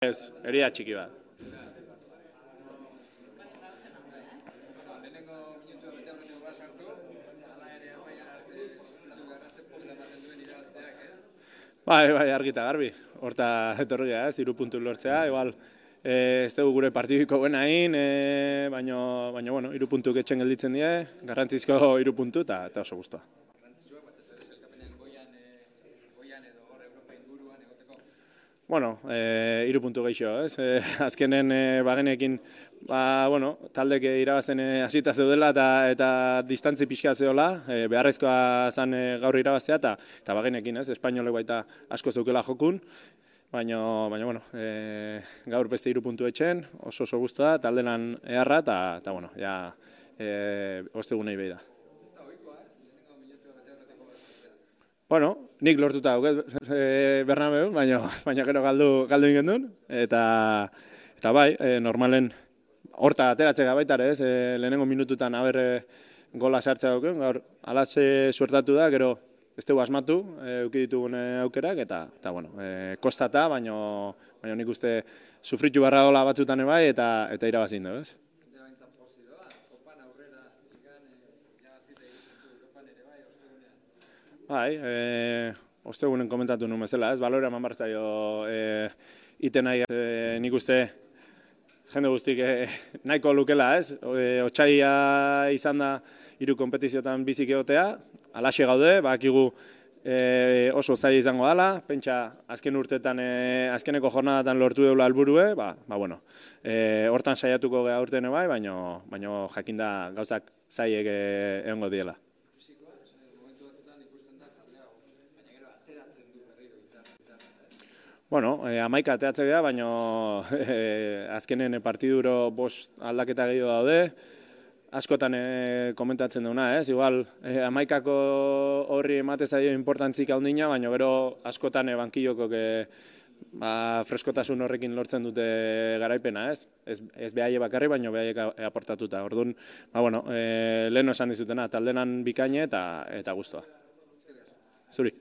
Ez, herida txiki bat. Bai, argita garbi. Horta etorri ez, 3 puntu lortzea, igual ez dugu gure partidiko buena egin, baina bueno, 3 puntuk etxen gelditzen die, garrantzizko 3 puntu eta oso gustoa. Bueno, 3 puntu gehiago, ez? Azkenen bagenekin, taldek irabazten hasita zeudela eta distantzi pixka zeola, beharrezkoa zen gaur irabaztea eta bagenekin, ez? Espainolek baita asko zeukela jokun, baina bueno, gaur beste 3 puntu etxen, oso gustoa, taldenan eharra eta bueno, ja ostegunei behi da. Bueno, nik lortuta dauket Bernabeun, baina gero galdu ingen duen, eta bai, normalen horta ateratzea baitare, ez, lehenengo minututan gola sartzea dauken, gaur alatze suertatu da, gero ez dugu asmatu, euki ditugun aukerak, eta bueno, kostata, baina nik uste sufritu barra gola batzutan bai, eta irabazin dugu, ez? Bai, ostegunen komentatu nuen bezala, ez, balora eman bartzaio iten nahi, nik uste jende guztik nahiko lukela, ez, otsaia izan da 3 konpetiziotan bizik egotea, alaxe gaude, bakigu oso zaila izango dela, pentsa azken urtetan, azkeneko jornadatan lortu deula helburue, bueno, hortan saiatuko geha urtene bai, baina jakinda gauzak zailek egongo diela. Bueno, 11 ateatze geha, baina azkenen partiduro 5 aldaketa gehiago daude, askotan komentatzen duna, ez? Igual, 11ko horri emate zaio importantzik handina, baina gero askotan bankillokok freskotasun horrekin lortzen dute garaipena, ez? Ez behaie bakarri, baina behaiek aportatuta. Orduan, bueno, lehen esan dizutena, taldenan bikaine eta gustoa. Zuri.